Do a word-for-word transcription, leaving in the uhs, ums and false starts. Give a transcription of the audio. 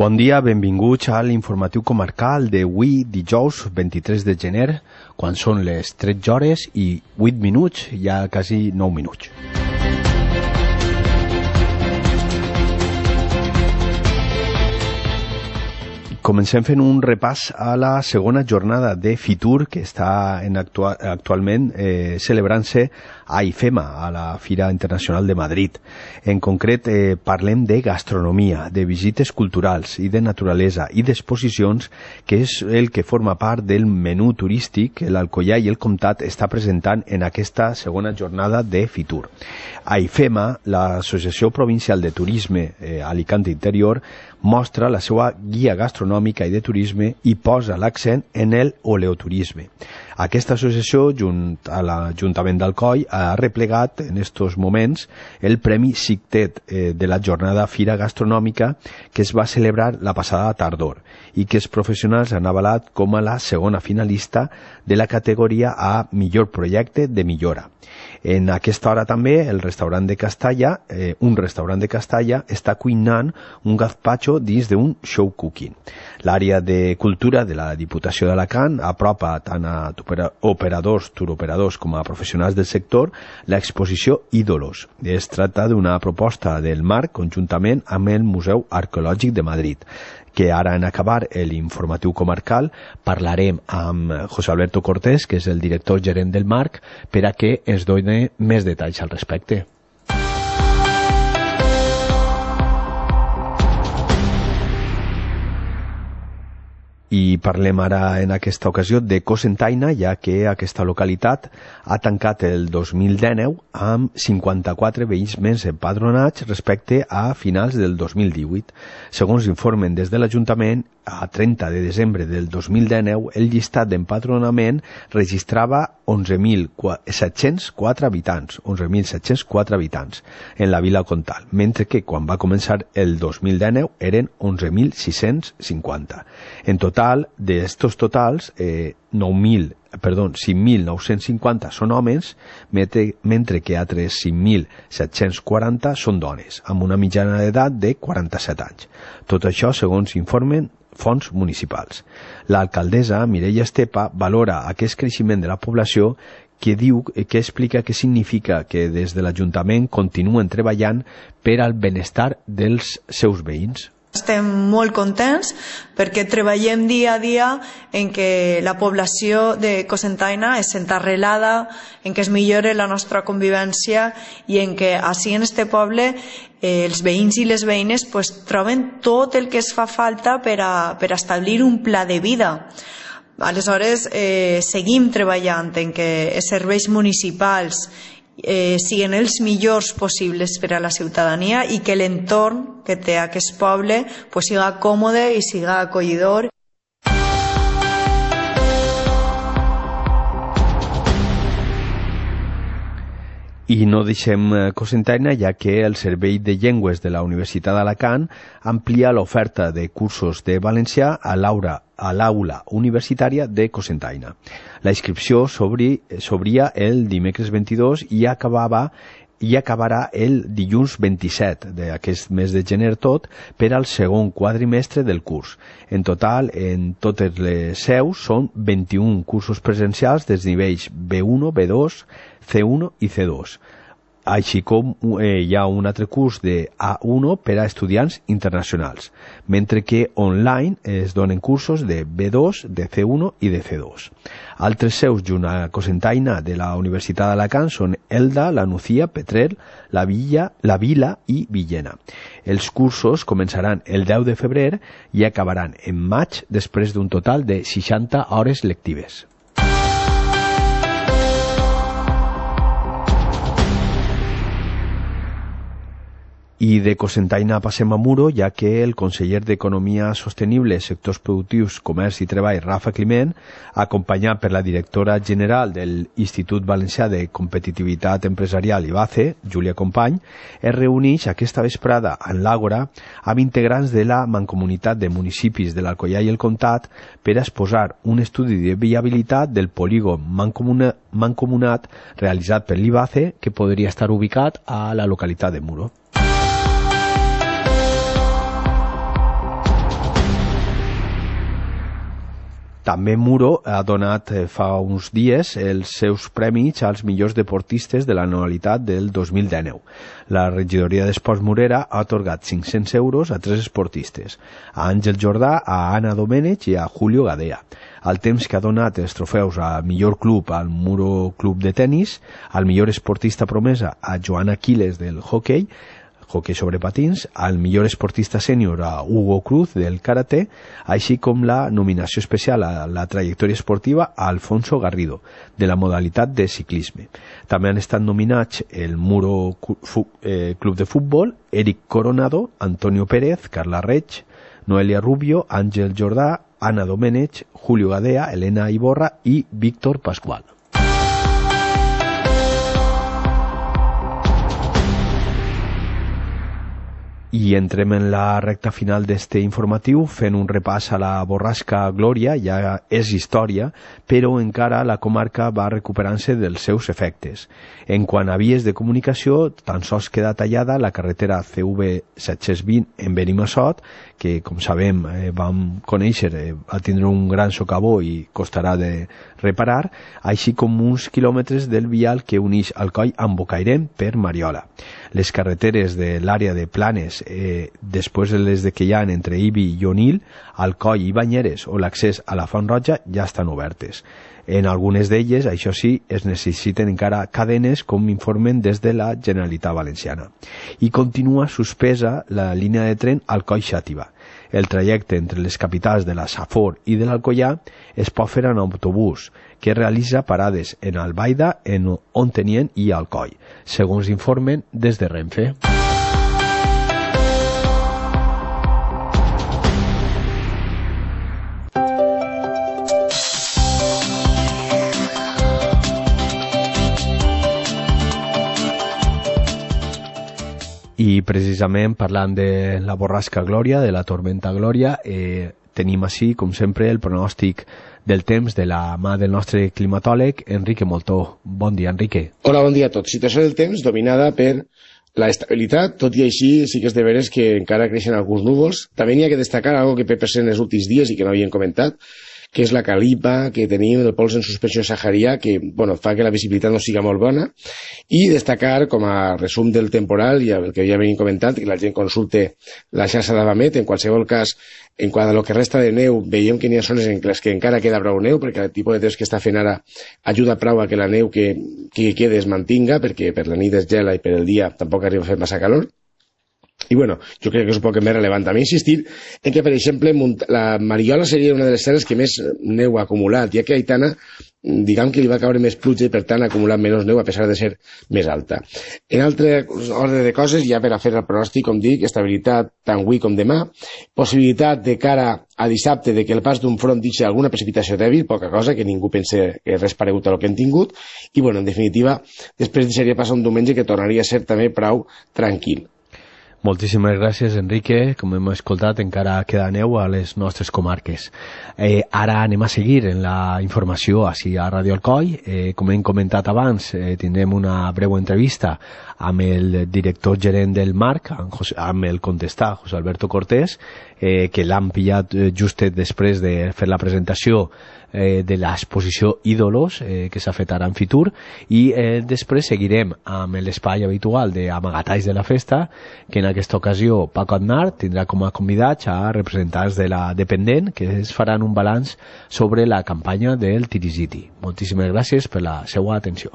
Bon dia, benvinguts a l'informatiu comarcal d'avui, dijous vint-i-tres de gener, quan són les tretze hores i vuit minuts, ja quasi nou minuts. Comencem fent un repàs a la segona jornada de Fitur, que està en actual, actualment eh, celebrant-se a IFEMA, a la Fira Internacional de Madrid. En concret, eh, parlem de gastronomia, de visites culturals i de naturalesa i d'exposicions, que és el que forma part del menú turístic que l'Alcoià i el Comtat està presentant en aquesta segona jornada de Fitur. A IFEMA, l'Associació Provincial de Turisme eh, Alicante Interior, mostra la seva guia gastronòmica i de turisme i posa l'accent en el oleoturisme. Aquesta associació, junt a l'Ajuntament d'Alcoi, ha replegat en estos moments el Premi Cictet eh, de la jornada Fira Gastronòmica que es va celebrar la passada tardor i que els professionals han avalat com a la segona finalista de la categoria a millor projecte de millora. En aquesta hora també el restaurant de Castalla, eh, un restaurant de Castalla, està cuinant un gazpacho dins d'un show cooking. L'àrea de cultura de la Diputació d'Alacant apropa tant a operadors, turoperadors com a professionals del sector l'exposició Ídolos. Es tracta d'una proposta del Marc conjuntament amb el Museu Arqueològic de Madrid, que ara en acabar l'informatiu comarcal parlarem amb José Alberto Cortés, que és el director gerent del Marc, per a que ens doni més detalls al respecte. I parlem ara en aquesta ocasió de Cocentaina, ja que aquesta localitat ha tancat el dos mil dinou amb cinquanta-quatre veïns més empadronats respecte a finals del dos mil divuit. Segons informen des de l'Ajuntament, a trenta de desembre del dos mil dinou el llistat d'empadronament registrava onze mil set-cents quatre habitants, onze mil set-cents quatre habitants en la vila Comtal, mentre que quan va començar el dos mil dinou eren onze mil sis-cents cinquanta. En total, d'estos totals, eh, nou mil, perdó, cinc mil nou-cents cinquanta són homes, mentre que altres cinc mil set-cents quaranta són dones, amb una mitjana d'edat de quaranta-set anys. Tot això segons informen fons municipals. L'alcaldessa Mireia Estepa valora aquest creixement de la població que diu que explica què significa que des de l'Ajuntament continuen treballant per al benestar dels seus veïns. Estem molt contents perquè treballem dia a dia en que la població de Cocentaina es senta arrelada, en que es millore la nostra convivència i en que així en este poble eh, els veïns i les veïnes pues, troben tot el que es fa falta per a, per a establir un pla de vida. Aleshores, eh, seguim treballant en que els serveis municipals Eh, siguin els millors possibles per a la ciutadania i que l'entorn que té aquest poble pues, siga còmode i siga acollidor. I no deixem Cocentaina, ja que el Servei de Llengües de la Universitat d'Alacant amplia l'oferta de cursos de valencià a l'aula a l'aula universitària de Cocentaina. La inscripció s'obria el dimecres vint-i-dos i acabava i acabarà el dilluns vint-i-set d'aquest mes de gener tot per al segon quadrimestre del curs. En total, en totes les seus són vint-i-un cursos presencials dels nivells B u, B dos, C u i C dos. Així com eh, hi ha un altre curs de A u per a estudiants internacionals, mentre que online es donen cursos de B dos, de C u i de C dos. Altres seus junt a Cocentaina de la Universitat d'Alacant són Elda, La Nucía, Petrer, La Villa, La Vila i Villena. Els cursos començaran el deu de febrer i acabaran en maig després d'un total de seixanta hores lectives. I de Cocentaina passem a Muro, ja que el conseller d'Economia Sostenible, Sectors Productius, Comerç i Treball, Rafa Climent, acompanyat per la directora general del Institut Valencià de Competitivitat Empresarial I B A C E, Júlia Company, es reuneix aquesta vesprada en l'Àgora amb integrants de la Mancomunitat de Municipis de l'Alcoià i el Comtat per a exposar un estudi de viabilitat del polígon mancomunat realitzat per l'I B A C E que podria estar ubicat a la localitat de Muro. També Muro ha donat eh, fa uns dies els seus premis als millors deportistes de l'anualitat del dos mil dinou. La regidoria d'Esports Morera ha atorgat cinc-cents euros a tres esportistes, a Àngel Jordà, a Anna Domènech i a Julio Gadea. Al temps que ha donat els trofeus al millor club al Muro Club de Tenis, al millor esportista promesa a Joan Aquiles del hoquei, hoquei sobre patins, al millor esportista sènior a Hugo Cruz del karate, així com la nominació especial a la trajectòria esportiva a Alfonso Garrido, de la modalitat de ciclisme. També han estat nominats el Muro Club de Futbol, Eric Coronado, Antonio Pérez, Carla Reig, Noelia Rubio, Àngel Jordà, Anna Domènech, Julio Gadea, Elena Iborra i Víctor Pascual. I entrem en la recta final d'este informatiu fent un repàs a la borrasca Glòria. Ja és història, però encara la comarca va recuperant-se dels seus efectes. En quant a vies de comunicació, tan sols queda tallada la carretera C V set-cents vint en Benimassot, que, com sabem, eh, vam conèixer, eh, va tindre un gran socavó i costarà de reparar, així com uns quilòmetres del vial que uneix Alcoi amb Bocairent per Mariola. Les carreteres de l'àrea de Planes, eh, després de les de que hi ha entre Ibi i Onil, Alcoi i Banyeres o l'accés a la Font Roja ja estan obertes. En algunes d'elles, això sí, es necessiten encara cadenes, com informen des de la Generalitat Valenciana. I continua suspesa la línia de tren Alcoi-Xàtiva. El trajecte entre les capitals de la Safor i de l'Alcoià es pot fer en autobús, que realitza parades en Albaida, en Ontenient i Alcoi, segons informen des de Renfe. I precisament parlant de la borrasca Glòria, de la tormenta Glòria, eh, tenim així, com sempre, el pronòstic del temps de la mà del nostre climatòleg, Enrique Moltó. Bon dia, Enrique. Hola, bon dia a tots. Situació del temps dominada per la estabilitat, tot i així sí que és de veres que encara creixen alguns núvols. També n'hi ha que destacar algo que ve present els últims dies i que no havíem comentat, que és la calipa que tenim del pols en suspensió saharià, que bueno, fa que la visibilitat no siga molt bona, i destacar com a resum del temporal, i el que ja venim comentant, que la gent consulte la xarxa d'Avamet. En qualsevol cas, en quant a lo que resta de neu, veiem que n'hi ha zones en les que encara queda prou neu, perquè el tipus de temps que està fent ara ajuda prou a que la neu que, que quede es mantinga, perquè per la nit es gela i per el dia tampoc arriba a fer massa calor. I bueno, jo crec que és un poc més rellevant també insistir en que, per exemple, la Mariola seria una de les serres que més neu ha acumulat, ja que a Aitana, diguem que li va caure més pluja i per tant ha acumulat menys neu a pesar de ser més alta. En altre ordre de coses, ja per a fer el pronòstic, com dic, estabilitat tant avui com demà, possibilitat de cara a dissabte de que el pas d'un front deixi alguna precipitació dèbil, poca cosa, que ningú pense que res paregut a lo que hem tingut, i bueno, en definitiva, després deixaria passar un diumenge que tornaria a ser també prou tranquil. Moltíssimes gràcies, Enrique. Com hem escoltat, encara queda neu a les nostres comarques. Eh, ara anem a seguir en la informació així a Radio Alcoi. Eh, com hem comentat abans, eh, tindrem una breu entrevista amb el director gerent del Marc, amb, José, amb el contestar, José Alberto Cortés, eh, que l'han pillat just després de fer la presentació eh, de l'exposició Ídolos, eh, que s'ha fet ara en Fitur, i eh, després seguirem amb l'espai habitual d'Amagatalls de la Festa, que en aquesta ocasió Paco Aznar tindrà com a convidats a representants de la dependent, que es faran un balanç sobre la campanya del Tirisiti. Moltíssimes gràcies per la seva atenció.